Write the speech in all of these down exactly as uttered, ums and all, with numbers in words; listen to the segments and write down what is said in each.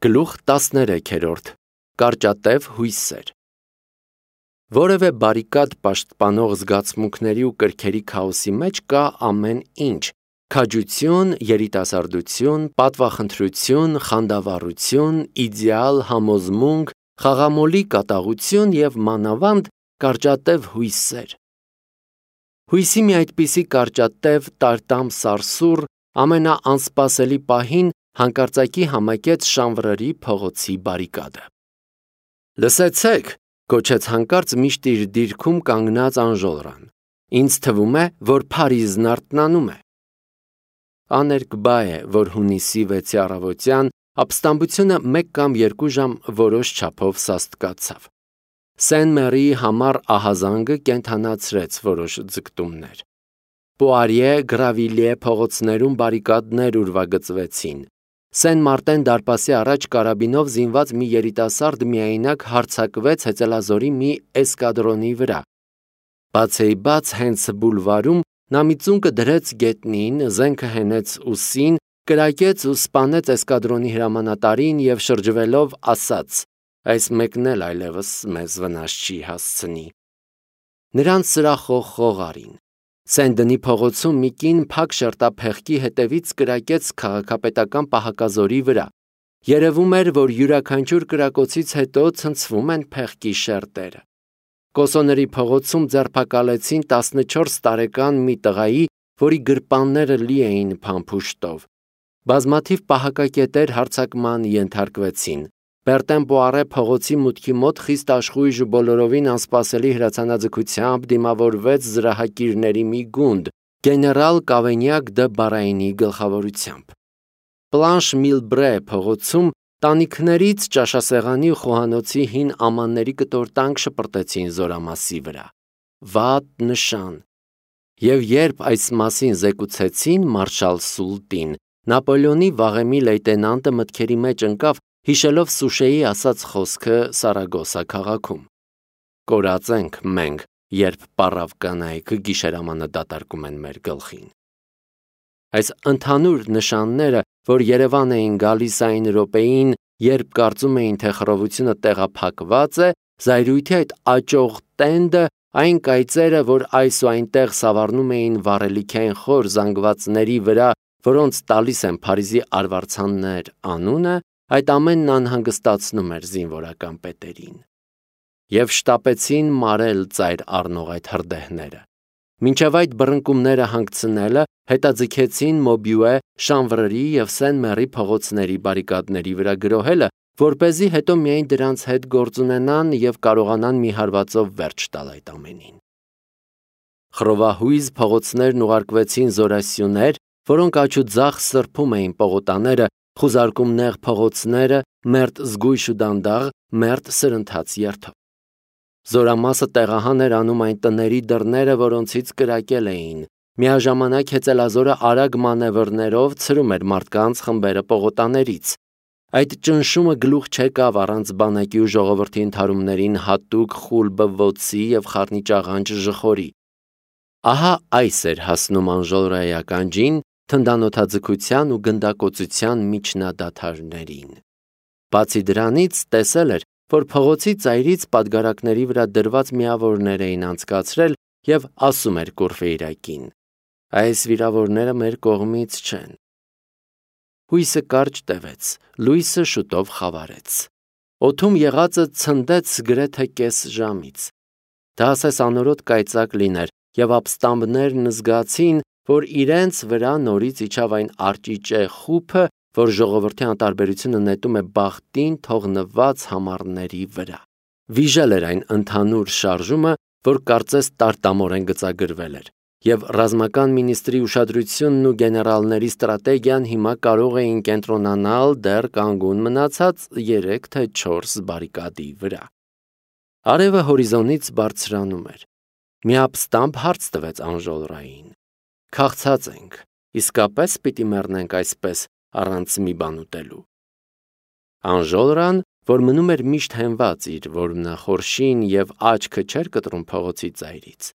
Գլուխ տասներեքերորդ Կարճատև հույսեր Որևէ բարիկադ պաշտպանող զգացմունքների ու կրքերի քաոսի մեջ կա ամեն ինչ՝ քաջություն, երիտասարդություն, պատվախնդրություն, խանդավառություն, իդեալ, համոզմունք, խաղամոլի կատաղություն և մանավանդ կարճատև հույսեր։ Հույսի մի այդպիսի կարճատև, տարտամ սարսուռ ամենաանսպասելի պահին հանկարծակի համակեց Շանվրերի փողոցի բարիկադը։ «Լսեցեք», գոչեց հանկարծ միշտ իր դիրքում կանգնած Անժոլրան, «ինձ թվում է, որ Փարիզն արթնանում է»։ Աներկբա է, որ հունիսի վեցի առավոտյան ապստամբությունը մեկ կամ երկու ժամ որոշ չափով սաստկացավ։ Սեն-Մերիի համառ ահազանգը կենդանացրեց որոշ ձգտումներ։ Պուարիե, Գրավիլիե փողոցներում բարիկադներ ուրվագծվեցին։ Սեն-Մարտեն դարպասի առաջ կարաբինով զինված մի երիտասարդ միայնակ հարձակվեց հեծելազորի մի էսկադրոնի վրա։ Բացեիբաց հենց բուլվարում նա մի ծունկը դրեց գետնին, զենքը հենեց ուսին, կրակեց ու սպանեց էսկադրոնի հրամանատարին և շրջվելով ասաց. «Այս մեկն էլ այլևս մեզ վնաս չի հասցնի»։ Նրանց սրախող խողարին։ Սեն-Դնի փողոցում մի կին փակ շերտափեղկի հետևից կրակեց քաղաքապետական պահակազորի վրա։ Երևում էր, որ յուրաքանչյուր կրակոցից հետո ցնցվում են փեղկի շերտերը։ Կոսոների փողոցում ձերբակալեցին տասնչորս տարեկան մի տղայի, որի գրպանները լի էին փամփուշտով։ Բազմաթիվ պահակակետեր հարձակման ենթարկվեցին։ Բերտեն-Պուարե փողոցի մուտքի մոտ խիստ աշխույժ ու բոլորովին անսպասելի հրացանաձգությամբ դիմավորվեց զրահակիրների մի գունդ՝ գեներալ Կավենյակ դը Բարայնի գլխավորությամբ։ Պլանշ-Միլբրե փողոցում տանիքներից ճաշասեղանի ու խոհանոցի հին ամանների կտորտանք շպրտեցին զորամասի վրա։ Վատ նշան։ Եվ երբ այս մասին զեկուցեցին մարշալ Սուլտին, Նապոլեոնի վաղեմի լեյտենանտը մտքերի մեջ ընկավ, հիշելով Սուշեի ասած խոսքը Սարագոսա քաղաքում. «Կորած ենք մենք, երբ պառավ կանայք գիշերամանը դատարկում են մեր գլխին»։ Այս ընդհանուր նշանները, որ Երևան էին գալիս այն րոպեին, երբ կարծում էին, թե խռովությունը տեղափակված է, զայրույթի այդ աճող տենդը, այն կայծերը, որ այս ու այնտեղ սավառնում էին վառելիքային խոր զանգվածների վրա, որոնց տալիս են Փարիզի արվարձաններ անունը, այդ ամենն անհանգստացնում էր զինվորական պետերին։ Եվ շտապեցին մարել ծայր առնող այդ հրդեհները։ Մինչև այդ բռնկումները հանգցնելը հետաձգեցին Մոբյուե, Շանվրերի և Սեն-Մերի փողոցների բարիկադների վրա գրոհելը, որպեսզի հետո միայն դրանց հետ գործ ունենան և կարողանան մի հարվածով վերջ տալ այդ ամենին։ Խռովահույզ փողոցներն ուղարկվեցին զորասյուներ, որոնք աջ ու ձախ սրբում էին պողոտաները, խուզարկում նեղ փողոցները, մերթ զգույշ ու դանդաղ, մերթ սրընթաց երթով։ Զորամասը տեղահան էր անում այն տների դռները, որոնցից կրակել էին։ Միաժամանակ հեծելազորը արագ մանևրներով ցրում էր մարդկանց խմբերը պողոտաներից։ Այդ ճնշումը գլուխ չեկավ առանց բանակի ու ժողովրդի ընդհարումներին հատուկ խուլ բվոցի և խառնիճաղանճ ժխորի։ Ահա այս էր հասնում Անժոլրայի ականջին թնդանոթաձգության ու գնդակոծության միջնադադարներին։ Բացի դրանից տեսել էր, որ փողոցի ծայրից պատգարակների վրա դրված միավորներ էին անցկացրել և ասում էր Կուրֆեյրակին. «Այս վիրավորները մեր կողմից չեն»։ Հույսը կարճ տևեց, լույսը շուտով խավարեց։ Օդում եղածը ցնդեց գրեթե կես ժամից։ Դա ասես անորոտ կայծակ լիներ, և ապստամբներն զգացին, որ իրենց վրա նորից իջավ այն արճիճե խուփը, որ ժողովրդի անտարբերությունը նետում է բախտին թողնված համառների վրա։ Վիժել էր այն ընդհանուր շարժումը, որ կարծես տարտամորեն գծագրվել էր, և ռազմական մինիստրի ուշադրությունն ու գեներալների ստրատեգիան հիմա կարող էին կենտրոնանալ դեռ կանգուն մնացած երեք թե չորս բարիկադի վրա։ Արևը հորիզոնից բարձրանում էր։ Մի ապստամբ հարց տվեց Անժոլրային. «Քաղցած ենք, իսկապե՞ս պիտի մեռնենք այսպես, առանց մի բան ուտելու»։ Անժոլրան, որ մնում էր միշտ հենված իր որմնախորշին և աչքը չէր կտրում փողոցի ծայրից,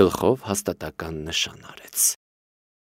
գլխով հաստատական նշան արեց։